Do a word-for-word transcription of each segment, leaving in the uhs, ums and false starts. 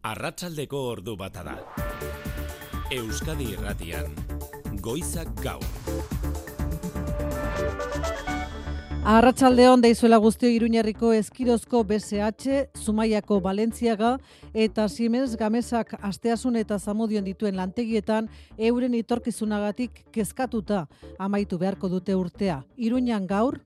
Arratsaldeko ordu bata da. Euskadi Irratian, Goizak Gaur. Arratsaldeon deizuela guztio Iruñerriko Eskirozko B S H, Zumaiako Balentziaga eta Siemens Gamesak Asteasun eta Zamudion dituen lantegietan euren etorkizunagatik kezkatuta amaitu beharko dute urtea. Iruñan gaur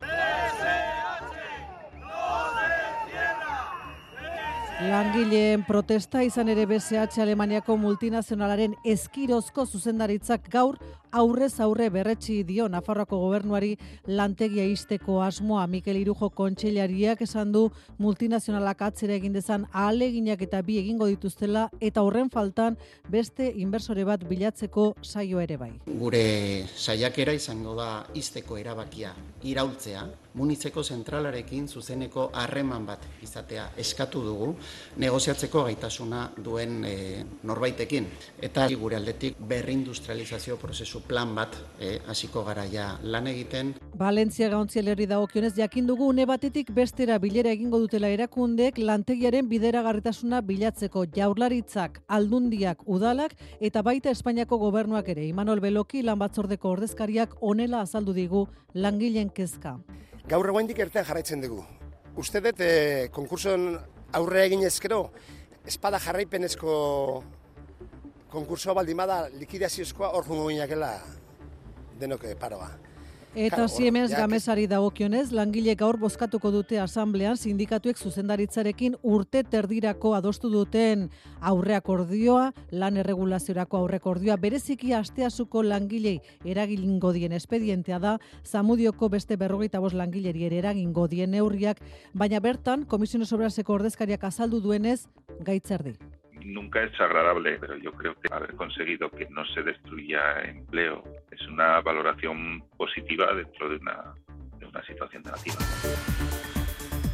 langileen protesta izan ere B S H Alemaniako multinazionalaren Eskirozko zuzendaritzak gaur aurrez aurre berretsi dio Nafarroako gobernuari lantegia ixteko asmoa. Mikel Irujo kontseilariak esan du multinazionalak atzera egin dezan ahaleginak eta bi egingo dituztela eta horren faltan beste inbertsore bat bilatzeko saio ere bai. Gure saiakera izango da ixteko erabakia iraultzea, Munitzeko zentralarekin zuzeneko harreman bat izatea eskatu dugu, negoziatzeko gaitasuna duen e, norbaitekin. Eta gure aldetik berrindustrializazio prozesu plan bat e, hasiko garaia lan egiten. Balentziaga ontzialerri dagokionez jakin dugu une batetik bestera bilera egingo dutela erakundek lantegiaren bideragarritasuna bilatzeko. Jaurlaritzak, Aldundiak, Udalak eta baita Espainiako gobernuak ere. Imanol Beloki lan batzordeko ordezkariak honela azaldu digu langileen kezka. Gaur egoendik ertean jarraitzen dugu. Uste dut eh, konkursoen aurre egin ezkero, espada jarraipenezko konkursoa baldimada likidaziozkoa hor jungo ginakela denok paroa. Eta Siemens Gamesari dagokionez, langile gaur bozkatuko dute asamblean sindikatuek zuzendaritzarekin urte terdirako adostu duten aurreakordioa, lan erregulaziorako aurrekordioa, bereziki Asteasuko langilei eragingo dien espedientea da, Zamudioko beste berrogeita bost langileri ere eragingo dien neurriak, baina bertan Komisiones Obraseko ordezkariak azaldu duenez gaitzerdi. Nunca es agradable, pero yo creo que haber conseguido que no se destruya empleo es una valoración positiva dentro de una, de una situación negativa.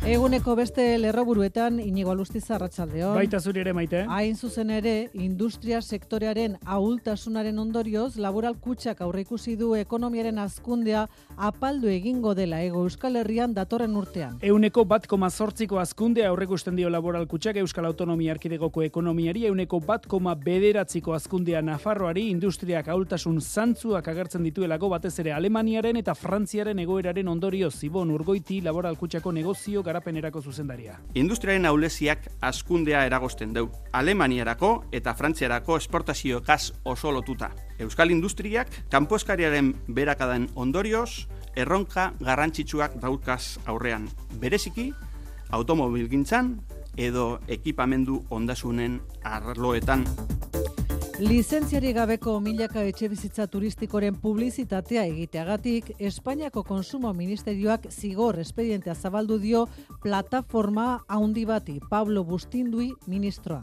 Eguneko beste lerroburuetan Inigo Alustiza, arratsaldeon. Baita zuri ere, Maite. Hain zuzen ere, industria sektorearen ahultasunaren ondorioz, Laboral Kutxak aurreikusi du ekonomiaren hazkundea apaldu egingo dela Hego Euskal Herrian datorren urtean. Euneko bat koma zortziko hazkundea aurreikusten dio Laboral Kutxak Euskal Autonomia Erkidegoko ekonomiari, euneko bat koma bederatziko hazkundea Nafarroari, industriak ahultasun zantzuak agertzen dituelako batez ere Alemaniaren eta Frantziaren egoeraren ondorioz. Ibon Urgoiti, Laboral Kutxako negozio garapenerako zuzendaria. Industriaren ahuleziak hazkundea eragosten du. Alemaniarako eta Frantziarako esportazio gas oso lotuta. Euskal industriak kanpo eskariaren beherakadan ondorioz erronka garrantzitsuak daukaz aurrean. Bereziki automobilgintzan edo ekipamendu ondasunen arloetan. Lizentziari gabeko milaka etxebizitza turistikoren publizitatea egiteagatik, Espainiako Konsumo Ministerioak zigor espedientea zabaldu dio plataforma handi bati. Pablo Bustindui, ministroa.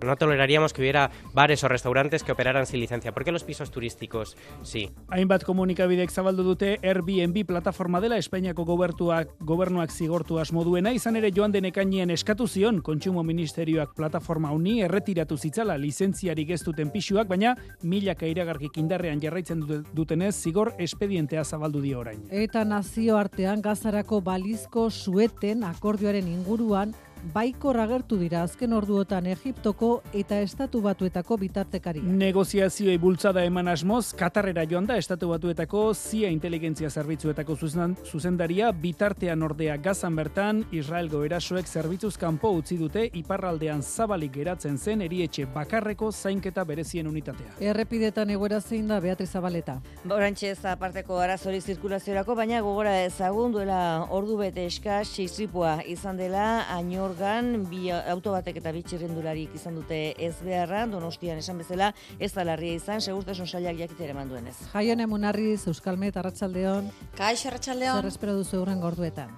No toleraríamos que hubiera bares o restaurantes que operaran sin licencia. ¿Por qué los pisos turísticos sí? Hainbat komunikabidek zabaldu dute Airbnb plataforma dela Espainiako gobertuak, gobernuak zigortu asmo duena, izan ere joan den ekainean eskatu zion Kontsumo Ministerioak plataforma honi erretiratu zitzala lizentziarik ez duten pisuak, baina milaka iragarkik indarrean jarraitzen dutenez zigor espedientea zabaldu dio orain. Eta nazioartean Gazarako balizko sueten akordioaren inguruan baikor agertu dira azken orduotan Egiptoko eta Estatu Batuetako bitartekaria. Negoziazioei bultzada eman asmoz, Katarrera joan da Estatu Batuetako Z I A inteligentzia zerbitzuetako zuzendaria, bitartean ordea Gazan bertan, Israelgo erasoek zerbitzuz kanpo utzi dute iparraldean zabalik geratzen zen erietxe bakarreko zainketa berezien unitatea. Errepidetan egoera zein da, Beatriz Zabaleta? Orantxe ez aparteko arazori zirkulaziorako, baina gogora ezagun duela ordu bete eskas istripua izan dela Añor Gan, bi auto batek eta bi txirrendularik izan dute ez beharra, Donostian esan bezala, ez da larria izan, segurtasun sailak jakitera eman duenez. Jaione Munarriz, Euskalmet, arratsaldeon. Kaix, arratsaldeon. Zer espero duzu hurrengo orduetan?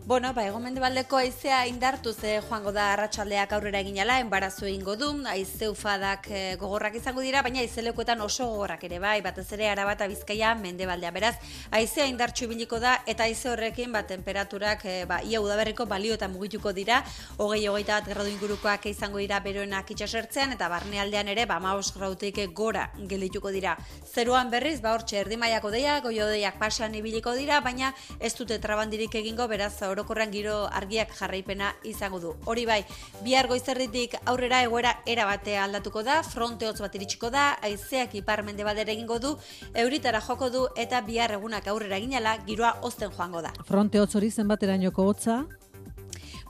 Bueno, ba, hegomendebaldeko haizea indartu ze joango da arratsaldeak aurrera eginala, enbarazu egingo du, haize ufadak e, gogorrak izango dira, baina haizelekuetan oso gogorrak ere bai, batez ere Araba eta Bizkaia mendebaldea. Beraz, haizea indartsu ibiliko da eta haize horrekin ba tenperaturak e, ba ia udaberriko balioetan mugituko dira, hogei hogeita bat gradu ingurukoak izango dira beroenak itsasertzean eta barnealdean ere ba hamabost gradutik gora geldituko dira. Zeruan berriz ba hortxe erdi mailako deiak, goio deiak pasean ibiliko dira, baina ez dute trabandirik egingo, beraz orokorrean giro argiak jarraipena izango du. Hori bai, bihar goizerditik aurrera egoera erabate aldatuko da, fronte hotz bat iritsiko da, haizeak ipar-mendebaldera egingo du, euritara joko du eta bihar egunak aurrera eginala giroa hozten joango da. Fronte hotz hori zenbaterainoko hotza?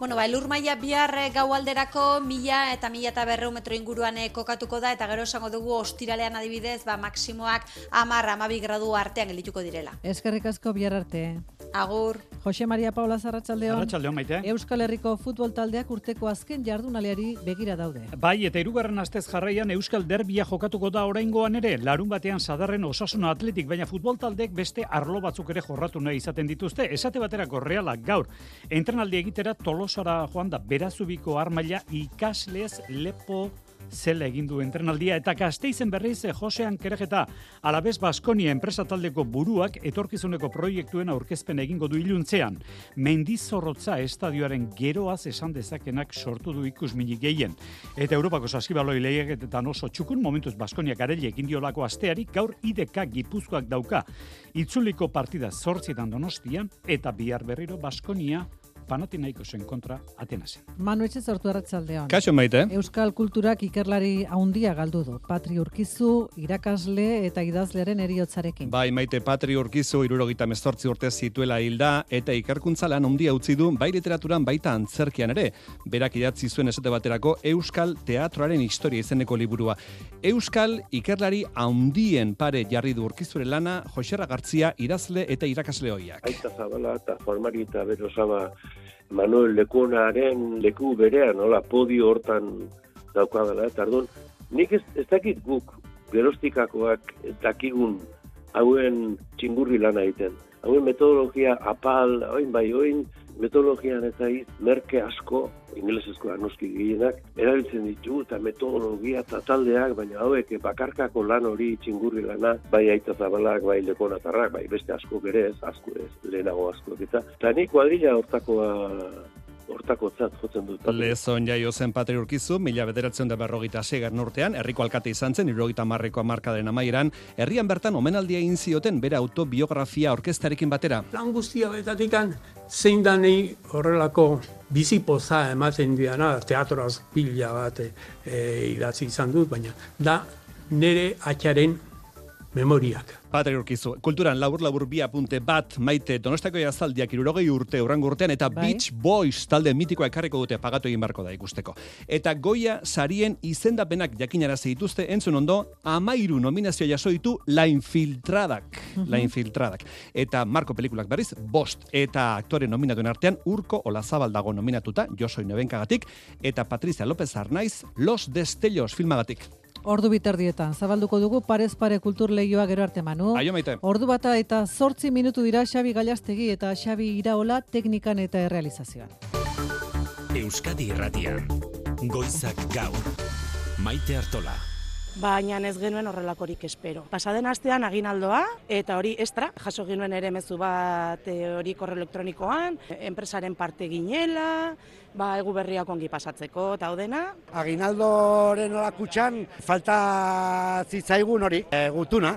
Bueno, ba, elur maila bihar gau alderako mila eta mila eta berreun metro inguruan kokatuko da, eta gero esango dugu ostiralean adibidez, ba, maksimoak hamar hamabi gradu artean geldituko direla. Eskerrik asko, bihar arte. Agur. Jose Maria Paula Arratsaldeon. Arratsaldeon, Maite. Euskal Herriko futbol taldeak urteko azken jardunaldiari begira daude. Bai, eta hirugarren astez jarraian Euskal Derbia jokatuko da oraingoan ere, larun batean Sadarren Osasuna Atletik, baina futbol taldeek beste arlo batzuk ere jorratu nahi izaten dituzte. Esate baterako Realak gaur entrenaldi egitera Tolosara joan da, Berazubiko armaila ikaslez lepo zela egin du entrenaldia, eta Gasteizen berriz Josean Kerejeta Alabez Baskonia enpresa taldeko buruak etorkizuneko proiektuen aurkezpen egingo du iluntzean. Mendizorrotza estadioaren geroaz esan dezakenak sortu du ikusminik gehien. Eta Europako saskibaloi lehiaketetan oso txukun, momentuz Baskonia gareli egin diolako asteari, gaur I D K Gipuzkoak dauka. Itzuliko partida zortzietan Donostian, eta bihar berriro Baskonia Panathinaikosen kontra Atenasen. Manu Etxezortu, arratsaldeon. Kaixo, Maite. Euskal kulturak ikerlari handia galdu du. Patri Urkizu, irakasle eta idazlearen heriotzarekin. Bai, Maite, Patri Urkizu hirurogeita hemezortzi urte zituela hilda eta ikerkuntza lan handia utzi du bai literaturan baita antzerkian ere. Berak idatzi zuen esate baterako Euskal Teatroaren historia izeneko liburua. Euskal ikerlari handien pare jarri du Urkizuren lana Joserra Gartzia idazle eta irakasle ohiak. Aita Zabala eta Juan Mari eta Berosaba Manuel Lekunaren leku berean, nola, podio hortan daukadala, eta ardun, nik ez, ez dakit guk gerostikakoak dakigun hauen txingurri lana egiten. Hauen metodologia apal, oin bai, oin metodologian eta iz, merke asko, ingelesezkoa noski gehienak, erabiltzen ditu eta metodologia eta taldeak, baina hauek bakarkako lan hori txingurri lana, bai Aita Zabalak, bai Lekonatarrak, bai beste asko ere ez, asko ez, lehenago asko eta. Eta nik kuadrilla hortakoa hortakotzat jotzen dut. Lezon jaio zen Patri Urkizu, mila bederatzen da berrogeita seigarren urtean, herriko alkate izan zen, hirurogeita hamarreko hamarkadaren amaieran, herrian bertan omenaldia egin zioten bere autobiografia orkestarekin batera. Lan guztia betatikan, zein da nahi horrelako bizipoza ematen diana, teatroaz pila bat e, idatzi izan dut, baina da nire atxaren memoriak. Patri Urkizu, kulturan labur-labur bi apunte bat, Maite, Donostako jazaldiak hirurogei urte urrango urtean, eta bai? Beach Boys talde mitikoa ekarriko dute, pagatu egin barko da ikusteko. Eta Goya sarien izendapenak jakinarazi dituzte, entzun ondo, amairu nominazio jaso ditu La Infiltradak. Uh-huh. La Infiltradak. Eta Marko pelikulak berriz, bost. Eta aktore nominatuen artean, Urko Olazabal dago nominatuta, Josoi Nebenkagatik, eta Patricia López Arnaiz, Los Destellos filmagatik. Ordu biterdietan, zabalduko dugu parez pare kultur lehioa gero arte, Manu. Aio, Maite. Ordu bata eta zortzi minutu dira Xabi Galastegi eta Xabi Iraola teknikan eta errealizazioan. Euskadi Irratian, Goizak Gaur, Maite Artola. Baina ez genuen horrelakorik espero. Pasaden astean aginaldoa, eta hori extra, jaso genuen ere mezu bat hori korreo elektronikoan, enpresaren parte ginela, ba, egu berriak ongi pasatzeko, eta hodena. Aginaldoren olakutxan, falta zitzaigun hori, e, gutuna.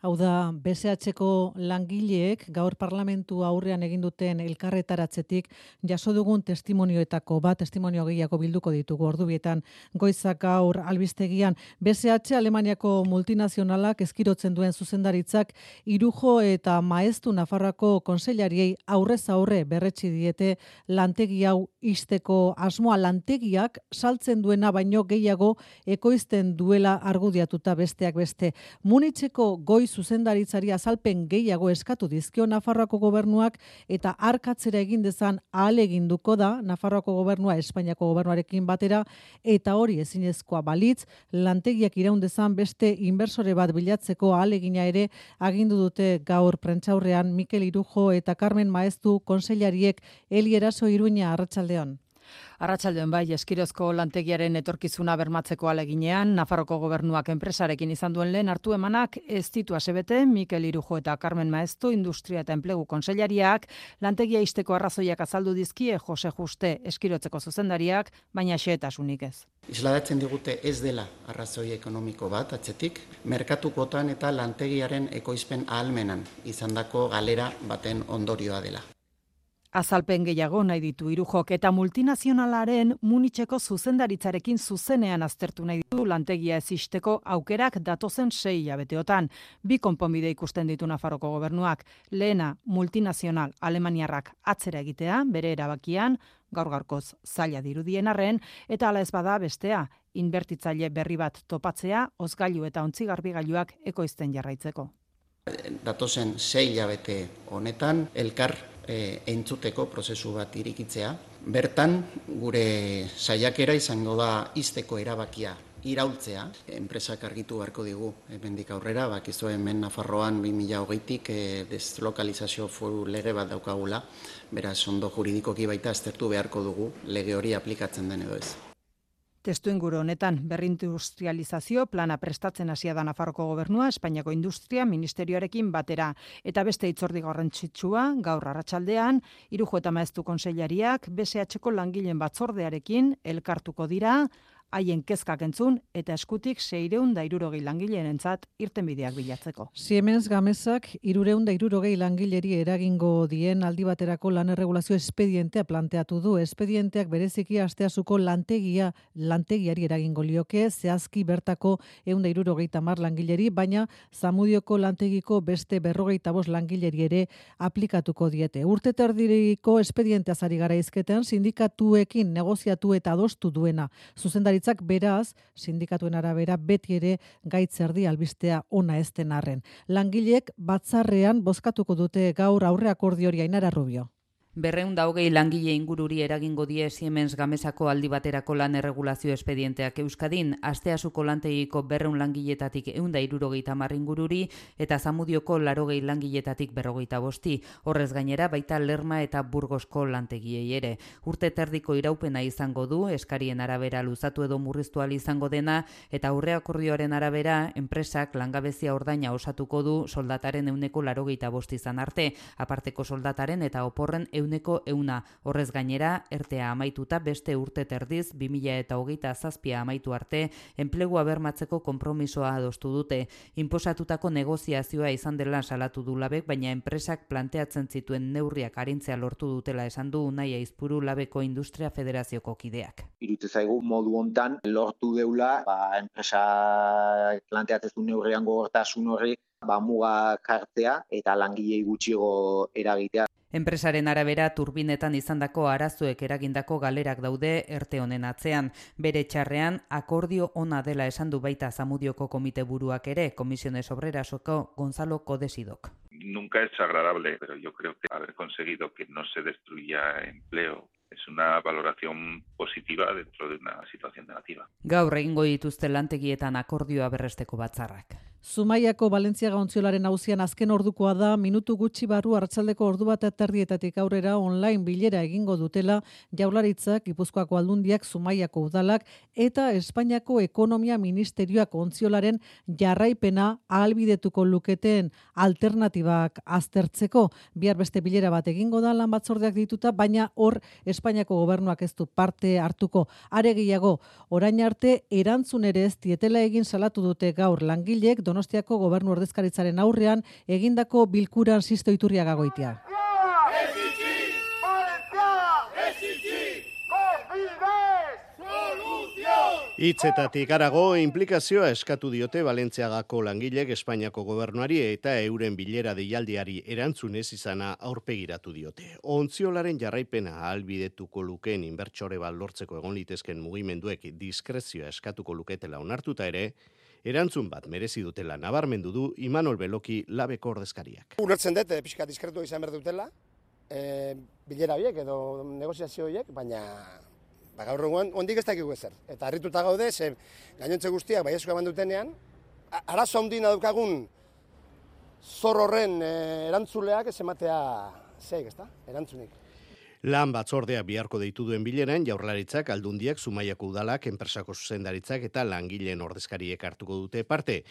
Hau da, B S H-ko langileek gaur parlamentu aurrean egin duten elkarretaratzetik jaso dugun testimonioetako bat, testimonio gehiago bilduko ditugu ordubietan Goizak Gaur albistegian. B S H Alemaniako multinazionalak ezkirotzen duen zuzendaritzak Irujo eta Maeztu Nafarroako konseilariei aurrez aurre berretsi diete lantegi hau ixteko asmoa, lantegiak saltzen duena baino gehiago ekoizten duela argudiatuta besteak beste. Munitzeko Goiz zuzendaritzari azalpen gehiago eskatu dizkio Nafarroako gobernuak eta arkatzera egin dezan ahaleginduko da Nafarroako gobernua Espainiako gobernuarekin batera, eta hori ezinezkoa balitz lantegiak iraun dezan beste inbertsore bat bilatzeko ahalegina ere agindu dute gaur prentsaurrean Mikel Irujo eta Carmen Maeztu konseilariek. Eli Eraso, Iruña, arratsaldeon. Arratsaldeon bai, Eskirozko lantegiaren etorkizuna bermatzeko aleginean, Nafarroko gobernuak enpresarekin izan duen lehen hartu emanak ez ditu asebete. Mikel Irujo eta Carmen Maeztu, Industria eta Enplegu konseilariak, lantegia ixteko arrazoiak azaldu dizkie Jose Juste Eskirotzeko zuzendariak, baina xehetasunik ez. Isladatzen digute ez dela arrazoi ekonomiko bat atzetik, merkatukotan eta lantegiaren ekoizpen ahalmenan izandako galera baten ondorioa dela. Azalpen gehiago nahi ditu Irujok eta multinazionalaren Munitzeko zuzendaritzarekin zuzenean aztertu nahi ditu lantegia ez ixteko aukerak datozen sei hilabeteotan. Bi konponbide ikusten ditu Nafarroko gobernuak. Lehena, multinazional alemaniarrak atzera egitea, bere erabakian, gaur gaurkoz zaila dirudien arren, eta hala ez bada bestea, inbertitzaile berri bat topatzea, ozgailu eta ontzigarbigailuak ekoizten jarraitzeko. Datozen sei hilabete honetan, elkar e, entzuteko prozesu bat irikitzea. Bertan, gure saiakera izango da ixteko erabakia iraultzea. Enpresak argitu beharko digu, hemendik aurrera, bakizu hemen Nafarroan bi mila hogeitik e, deslokalizazio foru lege bat daukagula, beraz ondo juridikoki baita aztertu beharko dugu lege hori aplikatzen den edo ez. Testuinguru honetan berrindustrializazio plana prestatzen hasia da Nafarroko gobernua Espainiako Industria Ministerioarekin batera eta beste hitzordi garrantzitsua gaur arratsaldean Irujo eta Maeztu kontseilariak B S Hko langileen batzordearekin elkartuko dira haien kezkak entzun eta eskutik seiehun eta hirurogei langileenentzat irtenbideak bilatzeko. Siemens Gamesak hirurehun eta hirurogei langileri eragingo dien aldi baterako lan erregulazio espedientea planteatu du. Espedienteak bereziki asteasuko lantegia lantegiari eragingo lioke, zehazki bertako ehun eta hirurogeita hamar langileri, baina Zamudioko lantegiko beste berrogeita bost langileri ere aplikatuko diete. Urte terdiriko espedienteaz ari gara hizketan sindikatuekin negoziatu eta adostu duena. Zuzendari beraz, sindikatuen arabera beti ere gaitz erdi albistea ona ez den arren. Langileek batzarrean bozkatuko dute gaur aurre akordiori Ainara Rubio. Berreun da hogei langile ingururi eragingo die Siemens Gamesako aldi baterako lan erregulazio espedienteak Euskadin, asteasuko lantegiko berreun langiletatik ehun eta hirurogeita hamar ingururi eta Zamudioko laurogei langiletatik berrogeita bosti. Horrez gainera baita Lerma eta Burgosko lantegiei ere. Urte terdiko iraupena izango du, eskarien arabera luzatu edo murriztu ahal izango dena eta aurre akordioaren arabera enpresak langabezia ordaina osatuko du soldataren ehuneko laurogeita bost izan arte, aparteko soldataren eta oporren euneko euna. Horrez gainera, ertea amaituta beste urte terdiz, bi mila hogeita zazpia amaitu arte, enplegua bermatzeko konpromisoa adostu dute. Inposatutako negoziazioa izan dela salatu du Labek, baina enpresak planteatzen zituen neurriak arintzea lortu dutela esan du Unai Aizpuru Labeko Industria Federazioko kideak. Irutze zaigu modu hontan lortu deula, ba, enpresa planteatzen du neurrian gogortasun horri, ba, muga jartzea eta langilei gutxiago eragitea. Enpresaren arabera turbinetan izandako arazoek eragindako galerak daude erte honen atzean. Bere txarrean akordio ona dela esan du baita Zamudioko komite buruak ere, Comisiones Obrerasoko Gonzalo Codesidok. Nunca es agradable, pero yo creo que haber conseguido que no se destruya empleo es una valoración positiva dentro de una situación negativa. Gaur egingo dituzte lantegietan akordioa berresteko batzarrak. Zumaiako Valentziaga ontziolaren auzian azken ordukoa da, minutu gutxi barru arratsaldeko ordu bat terdietatik aurrera online bilera egingo dutela Jaurlaritzak, Gipuzkoako Aldundiak, Zumaiako udalak eta Espainiako Ekonomia Ministerioak ontziolaren jarraipena ahalbidetuko luketen alternatibak aztertzeko. Bihar beste bilera bat egingo da lan batzordeak dituta, baina hor Espainiako gobernuak ez du parte hartuko. Are gehiago, orain arte erantzun ere ez dietela egin salatu dute gaur langileek Donostiako gobernu ordezkaritzaren aurrean egindako bilkuran Sisto Iturriaga Goitia. Hitzetatik harago inplikazioa eskatu diote Valentziagako langilek Espainiako gobernuari eta euren bilera deialdiari erantzun ez izana aurpegiratu diote. Ontziolaren jarraipena ahalbidetuko lukeen inbertsore bat lortzeko egon litezken mugimenduek diskrezioa eskatuko luketela onartuta ere, erantzun bat merezi dutela nabarmendu du Imanol Beloki Labeko ordezkariak. Ulertzen dut, pixka diskretu izan behar dutela, e, bilera horiek edo negoziazio horiek, baina ba, gaur egun ondik ez dakigu ezer. Eta harrituta gaude, ze gainontze guztiak baiezko eman dutenean, arazo handina daukagun zor horren e, erantzuleak ez ematea zeik, ezta? Erantzunik. Lan batzordea biharko deitu duen bileran, Jaurlaritzak, Aldundiak, Zumaiako udalak, enpresako zuzendaritzak eta langileen ordezkariek hartuko dute parte.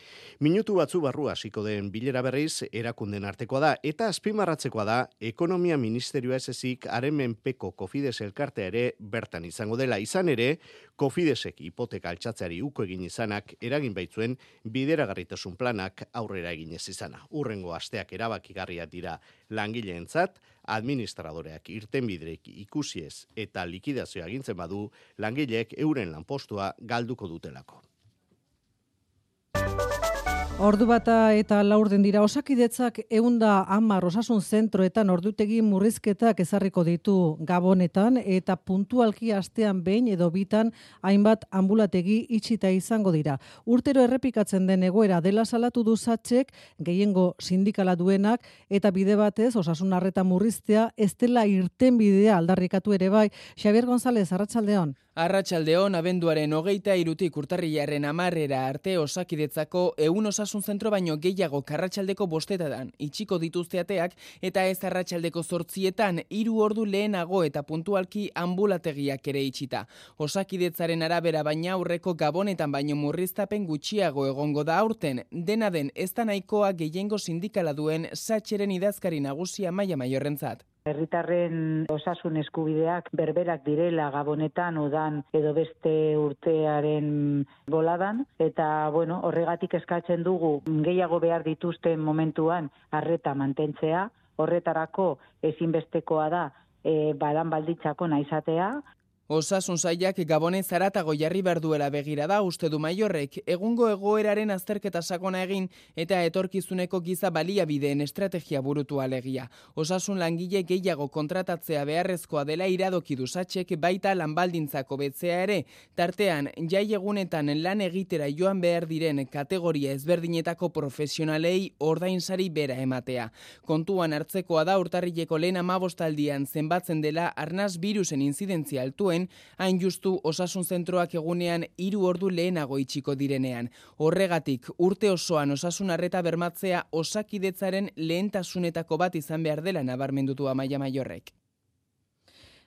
Minutu batzu barru hasiko den bilera berriz erakunden artekoa da eta azpimarratzekoa da Ekonomia Ministerioa ez ezik haren menpeko Cofides elkartea ere bertan izango dela. Izan ere, Cofidesek hipoteka altxatzeari uko egin izanak eragin baitzuen bideragarritasun planak aurrera egin ez izana. Urrengo asteak erabakigarriak dira langileentzat, Administradoreak irtenbiderik ikusiez eta likidazioa agintzen badu, langileek euren lanpostua galduko dutelako. Ordu bata eta laurden dira Osakidetzak ehunda hamar osasun zentroetan ordutegi murrizketak ezarriko ditu Gabonetan eta puntualki astean behin edo bitan hainbat anbulategi itxita izango dira. Urtero errepikatzen den egoera dela salatu du Satxek, gehiengo sindikala duenak eta bide batez osasun arreta murriztea ez dela irtenbidea aldarrikatu ere bai. Xabier González, arratsaldeon. Arratsaldeon, abenduaren hogeita irutik urtarrilaren hamarrera arte Osakidetzako ehun osasun zentro baino gehiago arratsaldeko bostetadan itxiko dituzte ateak eta ez arratsaldeko zortzietan hiru ordu lehenago eta puntualki ambulategiak ere itxita. Osakidetzaren arabera baina aurreko Gabonetan baino murriztapen gutxiago egongo da aurten, dena den ez da nahikoa gehiengo sindikala duen Satxeren idazkari nagusia Maia Maiorrentzat. Herritarren osasun eskubideak berberak direla Gabonetan udan edo beste urtearen boladan eta bueno, horregatik eskatzen dugu gehiago behar dituzten momentuan arreta mantentzea, horretarako ezinbestekoa da e, balan balditzako naizatea. Osasun sailak Gabonez zaratago jarri behar duela begira da uste du Maiorrek, egungo egoeraren azterketa sakona egin eta etorkizuneko giza baliabideen estrategia burutu alegia. Osasun langile gehiago kontratatzea beharrezkoa dela iradoki du Satxek baita lanbaldintzako betzea ere, tartean jai egunetan lan egitera joan behar diren kategoria ezberdinetako profesionalei ordainsari bera ematea. Kontuan hartzekoa da urtarrileko lehen hamabostaldian zenbatzen dela arnaz birusen inzidentzia altuen, hain justu osasun zentroak egunean hiru ordu lehenago itxiko direnean. Horregatik, urte osoan osasun arreta bermatzea Osakidetzaren lehentasunetako bat izan behar dela nabarmendutu Maia Maiorrek.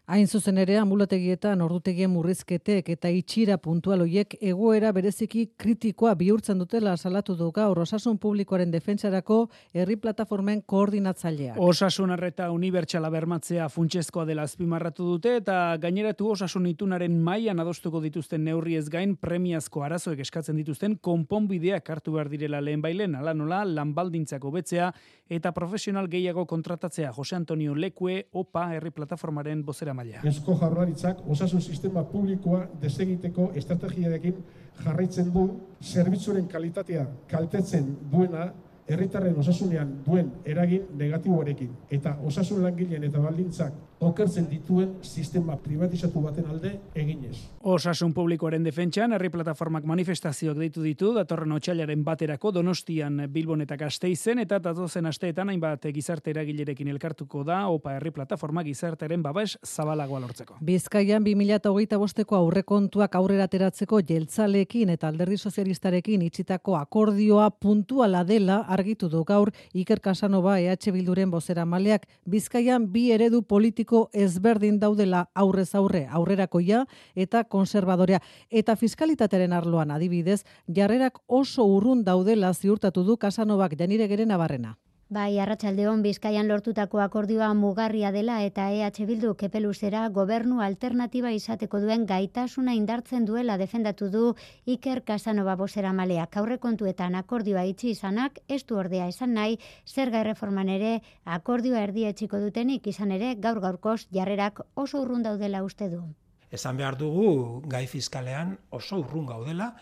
Hain zuzen ere, ambulategietan ordutegien murrizketek eta itxira puntual hoiek egoera bereziki kritikoa bihurtzen dutela salatu du gaur osasun publikoaren defentsarako herri plataformen koordinatzaileak. Osasun arreta unibertsala bermatzea funtsezkoa dela azpimarratu dute eta gaineratu osasun itunaren mailan adostuko dituzten neurriez gain premiazko arazoek eskatzen dituzten konponbideak hartu behar direla lehenbailen, hala nola lanbaldintzako betzea eta profesional gehiago kontratatzea. Jose Antonio Lekue, OPA herri plataformaren bozera maila. Eusko Jaurlaritzak osasun sistema publikoa desegiteko estrategiarekin jarraitzen du zerbitzuaren kalitatea kaltetzen duena herritarren osasunean duen eragin negatiboarekin eta osasun langileen eta baldintzak okertzen dituen sistema privatizatu baten alde eginez. Osasun publikoaren defentsan herri plataformak manifestazioak deitu ditu datorren otsailaren baterako Donostian, Bilbon eta Gasteizen eta datozen asteetan hainbat gizarte eragilerekin elkartuko da OPA herri plataforma gizartearen babes zabalagoa lortzeko. Bizkaian bi mila hogeita bosteko aurrekontuak aurrera ateratzeko jeltzaleekin eta alderdi sozialistarekin itxitako akordioa puntuala dela argitu du gaur Iker Casanova E H Bilduren bozeramaileak. Bizkaian bi eredu politiko ezberdin daudela aurrez aurre, aurrerakoia eta konservadorea. Eta fiskalitatearen arloan adibidez, jarrerak oso urrun daudela ziurtatu du Casanovak Janiregeren Nabarrena. Bai, arratsaldeon Bizkaian lortutako akordioa mugarria dela eta E H Bildu kepeluzera gobernu alternatiba izateko duen gaitasuna indartzen duela defendatu du Iker Casanova bozeramaleak. Aurrekontuetan akordioa itxi izanak ez du ordea esan nahi zerga erreforman ere akordioa erdietsiko dutenik izan ere gaur gaurkoz jarrerak oso urrun daudela uste du. Esan behar dugu gai fiskalean oso urrun gaudela,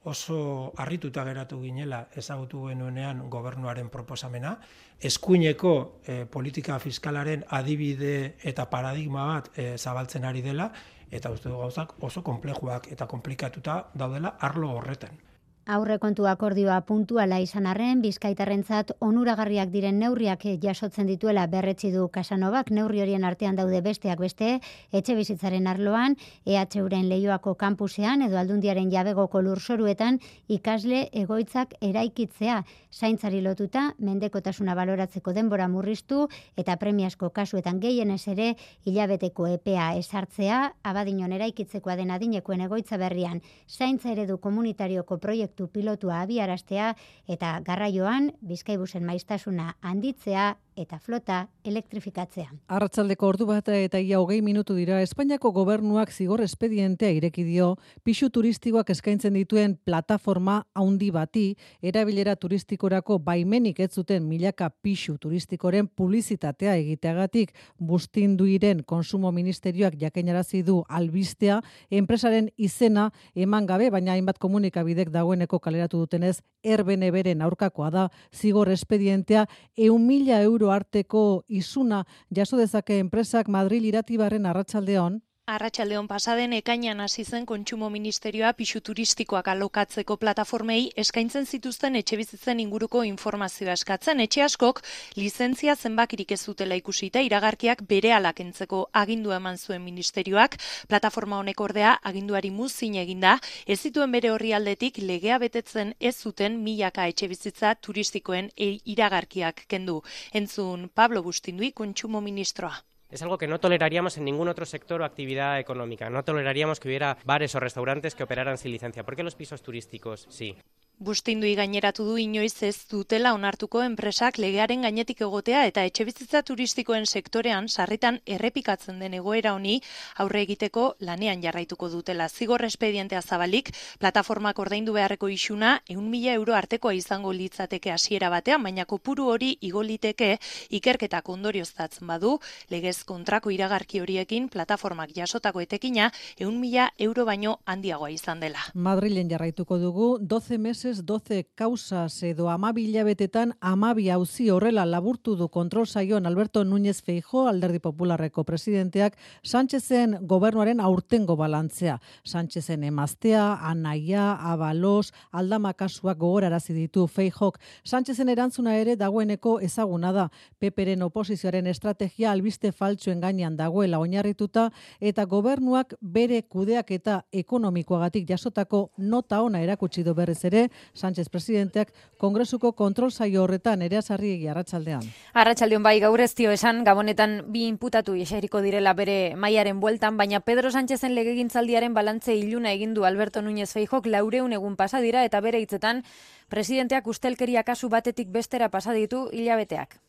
oso harrituta geratu ginela ezagutu genuenean gobernuaren proposamena, eskuineko eh, politika fiskalaren adibide eta paradigma bat eh, zabaltzen ari dela, eta uste du gauzak oso konplejuak eta komplikatuta daudela arlo horretan. Aurrekontu akordioa puntuala izan arren, bizkaitarrentzat onuragarriak diren neurriak jasotzen dituela berretsi du Casanovak. Neurri horien artean daude besteak beste, etxe bizitzaren arloan, E H Uren Leioako kampusean edo Aldundiaren jabegoko lurzoruetan ikasle egoitzak eraikitzea, zaintzari lotuta, mendekotasuna baloratzeko denbora murriztu eta premiazko kasuetan gehienez ere hilabeteko epea esartzea, Abadiñon eraikitzekoa den adinekoen egoitza berrian, zaintza eredu komunitarioko proiektu proiektu pilotua abiaraztea eta garraioan Bizkaibusen maiztasuna handitzea eta flota elektrifikatzea. Arratsaldeko ordu bat eta ia hogei minutu dira, Espainiako gobernuak zigor espedientea ireki dio pisu turistikoak eskaintzen dituen plataforma handi bati, erabilera turistikorako baimenik ez zuten milaka pisu turistikoren publizitatea egiteagatik. Bustinduiren Konsumo Ministerioak jakinarazi du albistea, enpresaren izena eman gabe, baina hainbat komunikabidek dagoeneko kaleratu dutenez, erbene beren aurkakoa da, zigor espedientea ehun mila euro arteko isuna jaso dezake enpresak. Madril Iratibarren arratsaldeon. Arratsaldeon pasaden ekainean hasi zen Kontsumo Ministerioa pisu turistikoak alokatzeko plataformei eskaintzen zituzten etxebizitzen inguruko informazioa eskatzen. Etxe askok lizentzia zenbakirik ez dutela ikusita iragarkiak berehala kentzeko agindua eman zuen ministerioak. Plataforma honek ordea aginduari muzin eginda, ez zituen bere orrialdetik legea betetzen ez zuten milaka etxebizitza turistikoen iragarkiak kendu. Entzun Pablo Bustindui, Kontsumo Ministroa. Es algo que no toleraríamos en ningún otro sector o actividad económica. No toleraríamos que hubiera bares o restaurantes que operaran sin licencia. ¿Por qué los pisos turísticos sí? Bustindui gaineratu du inoiz ez dutela onartuko enpresak legearen gainetik egotea eta etxebizitza turistikoen sektorean sarritan errepikatzen den egoera honi aurre egiteko lanean jarraituko dutela. Zigor espedientea zabalik, plataformak ordaindu beharreko isuna ehun mila euro artekoa izango litzateke hasiera batean, baina kopuru hori igo liteke ikerketak ondorioztatzen badu, legez kontrako iragarki horiekin plataformak jasotako etekina ehun mila euro baino handiagoa izan dela. Madrilen jarraituko dugu, doce meses doce causas edo hamabi hilabetetan hamabi auzi horrela laburtu du kontrol saioan Alberto Núñez Feijóo, Alderdi Popularreko presidenteak, Sánchezen gobernuaren aurtengo balantzea. Sánchezen emaztea, anaia, abalos, aldama kasuak gogorarazi ditu Feijóok. Sánchezen erantzuna ere dagoeneko ezaguna da. Peperen oposizioaren estrategia albiste faltsuen gainean dagoela oinarrituta eta gobernuak bere kudeaketa ekonomikoagatik jasotako nota ona erakutsi du berriz ere Sánchez presidenteak Kongresuko kontrol saio horretan. Nerea Sarriegi, arratsaldean. Arratsaldeon bai, gaur ez dio esan gabonetan bi inputatu eseriko direla bere mailaren bueltan, baina Pedro Sánchezen legegintzaldiaren balantze iluna egin du Alberto Núñez Feijóok laurehun egun pasa dira eta bere hitzetan presidenteak ustelkeria kasu batetik bestera pasa ditu hilabeteak.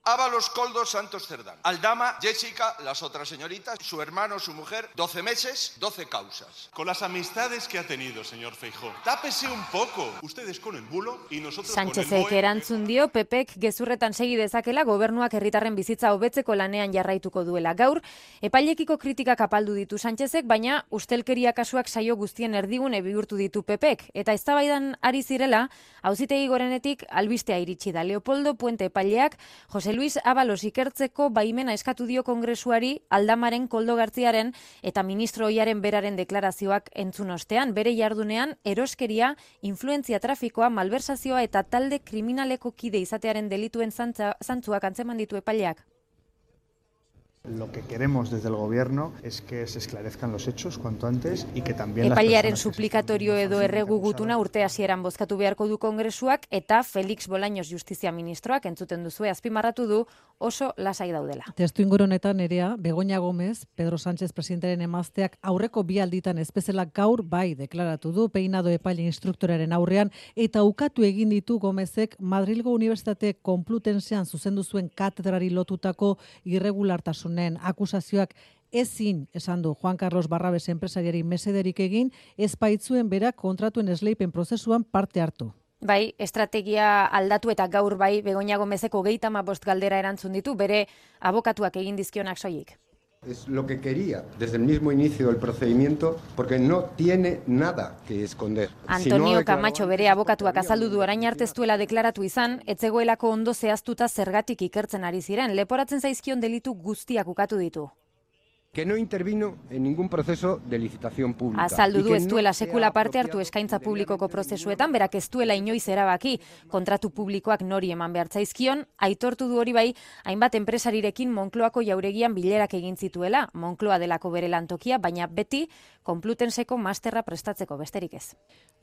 Ábalos, Koldo, Santos, Cerdán. Aldama, Jessica, las otras señoritas, su hermano, su mujer, doce meses, doce causas. Con las amistades que ha tenido, señor Feijóo. Tápese un poco. Ustedes con el bulo y nosotros Sánchezek con el boe. Erantzun dio, Pepek gezurretan segi dezakela gobernuak herritarren bizitza hobetzeko lanean jarraituko duela. Gaur, epailekiko kritikak apaldu ditu Sánchezek, baina ustelkeria kasuak saio guztien erdigune bihurtu ditu Pepek. Eta eztabaidan ari zirela, auzitegi gorenetik albistea iritsi da. Leopoldo Puente epaileak, Jose Luis Ábalos ikertzeko baimena eskatu dio Kongresuari Aldamaren, Koldo Gartziaren eta ministro ohiaren beraren deklarazioak entzun ostean. Bere jardunean eroskeria, influentzia trafikoa, malversazioa eta talde kriminaleko kide izatearen delituen zantza, zantzuak antzeman ditu epaileak. Lo que queremos desde el gobierno es que se esclarezcan los hechos cuanto antes y que también las Epailearen personas suplikatorio edo erregu gutuna urte hasieran bozkatu beharko du Kongresuak eta Felix Bolaños Justizia Ministroak entzuten duzue azpimarratu du oso lasai daudela. Testu inguru honetan Nerea, Begoña Gómez, Pedro Sánchez presidentearen emazteak aurreko bi alditan espezela gaur bai deklaratu du peinado epaile instruktoraren aurrean eta ukatu egin ditu Gómezek Madrilgo Unibertsitate Konplutensean zuzendu zuen katedrari lotutako irregulartasun akusazioak ezin esan du Juan Carlos Barrabes enpresariari mesederik egin, ez baitzuen berak kontratuen esleipen prozesuan parte hartu. Bai, estrategia aldatu eta gaur bai Begoña Gómezeko hogeita hamabost galdera erantzun ditu bere abokatuak egin dizkionak soilik. Es lo que quería desde el mismo inicio del procedimiento, porque no tiene nada que esconder. Antonio si no Camacho bere abokatuak azaldu du orain arte ez duela deklaratu izan, etzegoelako ondo zehaztuta zergatik ikertzen ari ziren, leporatzen zaizkion delitu guztiak ukatu ditu. que no intervino en ningún proceso de licitación pública. Azaldu du ez duela sekula parte hartu eskaintza publikoko prozesuetan, berak ez duela inoiz erabaki kontratu publikoak nori eman behar zaizkion, aitortu du hori bai, hainbat enpresarirekin Moncloako jauregian bilerak egin zituela, Moncloa delako bere lantokia, baina beti Konplutenseko masterra prestatzeko besterik ez.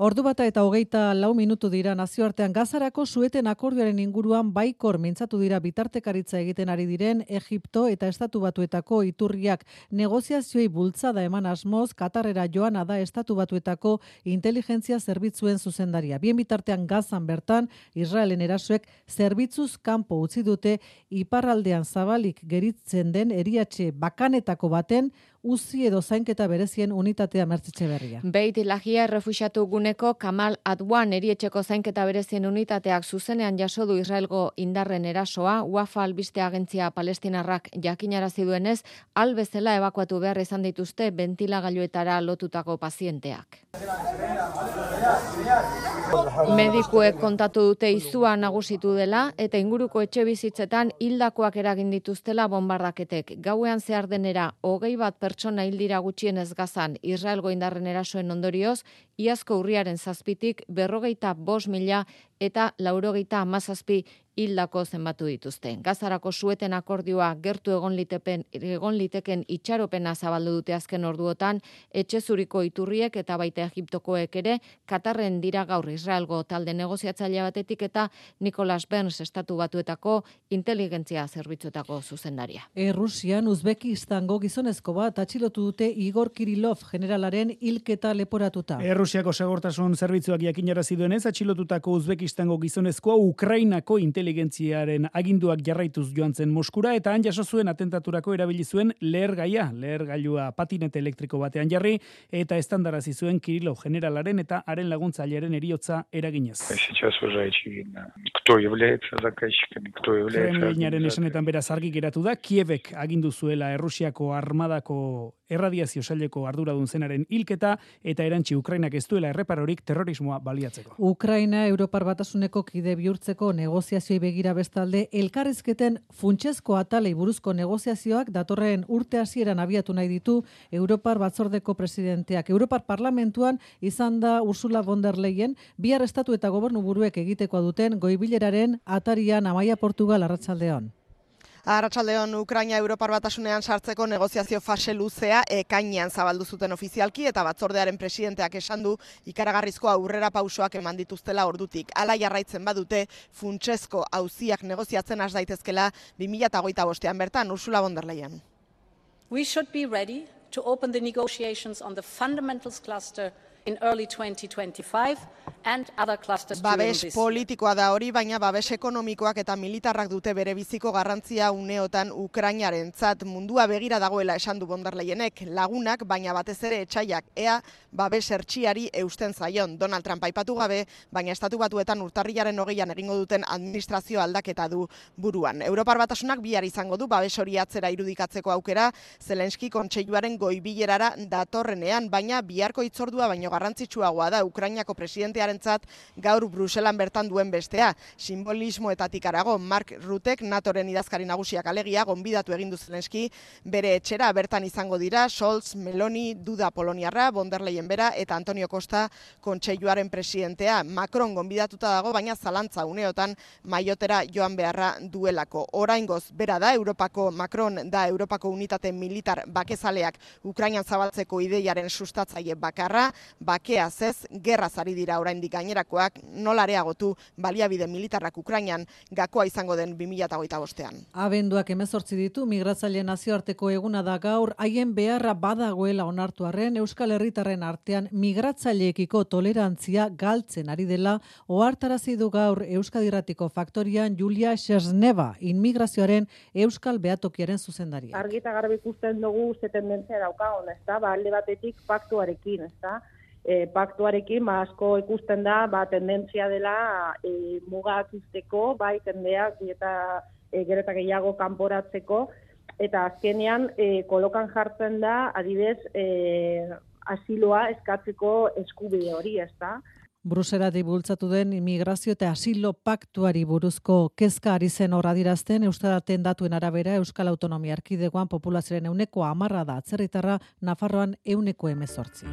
Ordu bata eta hogeita lau minutu dira nazioartean Gazarako sueten akordioaren inguruan baikor mintzatu dira bitartekaritza egiten ari diren Egipto eta Estatu Batuetako iturriak. negoziazioi bultzada eman asmoz Katarrera joana da Estatu Batuetako inteligentzia zerbitzuen zuzendaria. Bien bitartean Gazan bertan Israelen erasoek zerbitzuz kanpo utzi dute iparraldean zabalik geritzen den eriatxe bakanetako baten uzi edo zainketa berezien unitatea Mertzitxe Berria. Beit Lahia errefuxiatu guneko Kamal Adwan erietxeko zainketa berezien unitateak zuzenean jaso du Israelgo indarren erasoa, Wafa albiste agentzia palestinarrak jakinarazi duenez, albezela ebakuatu behar izan dituzte bentilagailuetara lotutako pazienteak. Medikuek kontatu dute izua nagusitu dela eta inguruko etxe bizitzetan hildakoak eragin dituztela bombardaketek. Gauean zehar denera hogei bat pertsona hildira gutxienez Gazan Israelgo indarren erasoen ondorioz, iazko urriaren zazpitik berrogeita bost mila eta laurogeita hamazazpi hildako zenbatu dituzte. Gazarako sueten akordioa gertu egon litepen, egon liteken itxaropena zabaldu dute azken orduotan, etxezuriko iturriek eta baita Egiptokoek ere, Katarren dira gaur Israelgo talde negoziatzaile batetik eta Nicholas Burns Estatu Batuetako inteligentzia zerbitzuetako zuzendaria. Errusian Uzbekistango gizonezko bat atxilotu dute Igor Kirilov generalaren hilketa leporatuta. Errusiako segurtasun zerbitzuak jakinarazi duenez atxilotutako Uzbekistango gizonezkoa Ukrainako inteligentziaren aginduak jarraituz joan zen Moskura eta han jaso zuen atentaturako erabili zuen lehergaia, lehergailua patinete elektriko batean jarri eta estandarazi zuen Kirilov generalaren eta haren laguntzailearen heriotza eraginez. Kremlinaren esanetan beraz argi geratu da Kievek agindu zuela Errusiako armadako erradiazio saileko arduradun zenaren hilketa eta erantzi Ukrainak ez duela erreparorik terrorismoa baliatzeko. Ukraina Europar Batasuneko kide bihurtzeko negoziazioi begira bestalde elkarrizketen funtsezko atalei buruzko negoziazioak datorren urte hasieran abiatu nahi ditu Europar Batzordeko presidenteak. Europar Parlamentuan izan da Ursula von der Leyen bihar estatu eta gobernu buruek egitekoa duten goibileraren atarian Amaia Portugal arratsaldeon. Arratsaldeon Ukraina Europar Batasunean sartzeko negoziazio fase luzea ekainean zabaldu zuten ofizialki eta batzordearen presidenteak esan du ikaragarrizko aurrera pausoak eman dituztela ordutik. Hala jarraitzen badute funtsezko auziak negoziatzen has daitezkela bi mila hogeita bostean bertan Ursula von der Leyen. We should be ready to open the negotiations on the fundamentals cluster in early twenty twenty-five and other clusters during Babes this. politikoa da hori, baina babes ekonomikoak eta militarrak dute bere biziko garrantzia uneotan Ukrainarentzat mundua begira dagoela esan du von der Leyenek, lagunak baina batez ere etsaiak ea babes hertsiari eusten zaion. Donald Trump aipatu gabe, baina Estatu Batuetan urtarrilaren hogeian egingo duten administrazio aldaketa du buruan. Europar Batasunak bihar izango du babes hori atzera irudikatzeko aukera Zelenski kontseiluaren goibilerara datorrenean, baina biharko hitzordua baino garrantzitsuagoa da Ukrainako presidentearentzat gaur Bruselan bertan duen bestea. Simbolismoetatik harago, Mark Rutek, NATOren idazkari nagusiak alegia, gonbidatu egin du Zelenski bere etxera bertan izango dira Scholz, Meloni, Duda Poloniarra, von der Leyen bera eta Antonio Costa kontseiluaren presidentea. Macron gonbidatuta dago, baina zalantza uneotan maiotera joan beharra duelako. Oraingoz bera da Europako Macron da Europako unitate militar bakezaleak Ukrainan zabaltzeko ideiaren sustatzaile bakarra, bakea zez, gerra zari dira oraindik gainerakoak, nola areagotu baliabide militarrak Ukrainan gakoa izango den bi mila hogeita bostean. Abenduak hemezortzi ditu, migratzaileen nazioarteko eguna da gaur, haien beharra badagoela onartu arren, Euskal Herritarren artean migratzaileekiko tolerantzia galtzen ari dela, ohartarazi du gaur Euskadi Irratiko Faktorian Julia Xesneva, inmigrazioaren Euskal Behatokiaren zuzendaria. Argi eta garbi ikusten dugu ze tendentzia daukagun, ezta? Ba, alde batetik paktuarekin, ezta? E, paktuarekin ba, asko ikusten da ba, tendentzia dela e, mugak izteko, bai tendeak eta e, gero eta gehiago kanporatzeko, eta azkenean e, kolokan jartzen da adibez e, asiloa eskatzeko eskubide hori, ezta? Bruselatik bultzatu den immigrazio eta asilo paktuari buruzko kezka ari zen hor adirazten, Euskaraten datuen arabera Euskal Autonomia Erkidegoan populazioaren ehuneko hamarra da atzerritarra, Nafarroan ehuneko hemezortzi.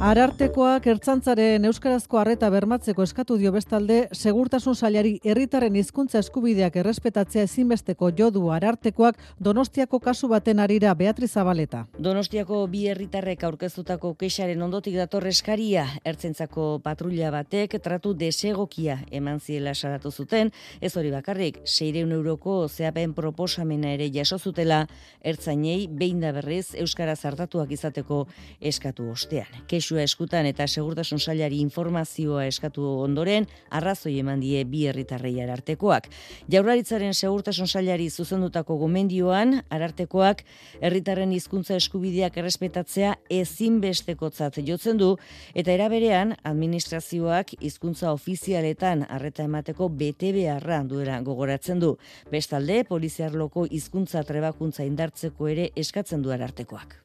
Arartekoak ertzaintzaren euskarazko arreta bermatzeko eskatu dio bestalde, segurtasun sailari herritarren hizkuntza eskubideak errespetatzea ezinbesteko jo du Arartekoak Donostiako kasu baten arira. Beatriz Zabaleta. Donostiako bi herritarrek aurkeztutako kexaren ondotik dator eskaria. Ertzaintzako patrulla batek tratu desegokia eman ziela salatu zuten, ez hori bakarrik, seiehun euroko zehapen proposamena ere jaso zutela ertzainei behin da berriz euskaraz artatuak izateko eskatu ostean. Kexua eskutan eta segurtasun sailari informazioa eskatu ondoren, arrazoi eman die bi herritarrei Arartekoak. Jaurlaritzaren segurtasun sailari zuzendutako gomendioan, Arartekoak herritarren hizkuntza eskubideak errespetatzea ezinbestekotzat jotzen du, eta era berean administrazioak hizkuntza ofizialetan arreta emateko bete beharra duela gogoratzen du. Bestalde, poliziarloko hizkuntza trebakuntza indartzeko ere eskatzen du Arartekoak.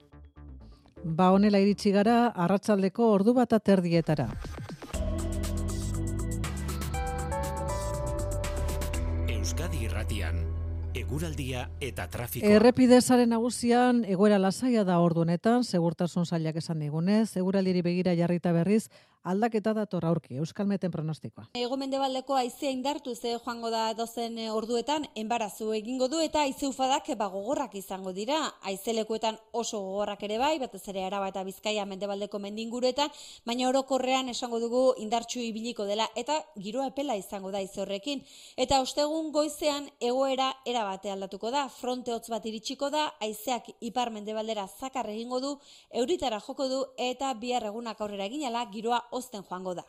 Ba honela iritsi gara arratsaldeko ordu bat aterdietara. Euskadi Irratian, eguraldia eta trafikoa. Errepidezaren nagusian egoera lasaia da ordu honetan, segurtasun sailak esan digunez, eguraldiari begira jarrita berriz, aldaketa dator aurki, Euskalmeten pronostikoa. Hego-mendebaldeko haizea indartu ze joango da dozen orduetan, enbarazu egingo du eta haize ufadak gogorrak izango dira. Haizelekuetan oso gogorrak ere bai, batez ere Araba eta Bizkaia mendebaldeko mendinguruetan, baina orokorrean esango dugu indartsu ibiliko dela eta giroa epela izango da haize horrekin. Eta ostegun goizean egoera erabate aldatuko da, fronte hotz bat iritsiko da, haizeak ipar mendebaldera zakar egingo du, euritara joko du eta bihar egunak aurrera eginala giroa ozten joango da.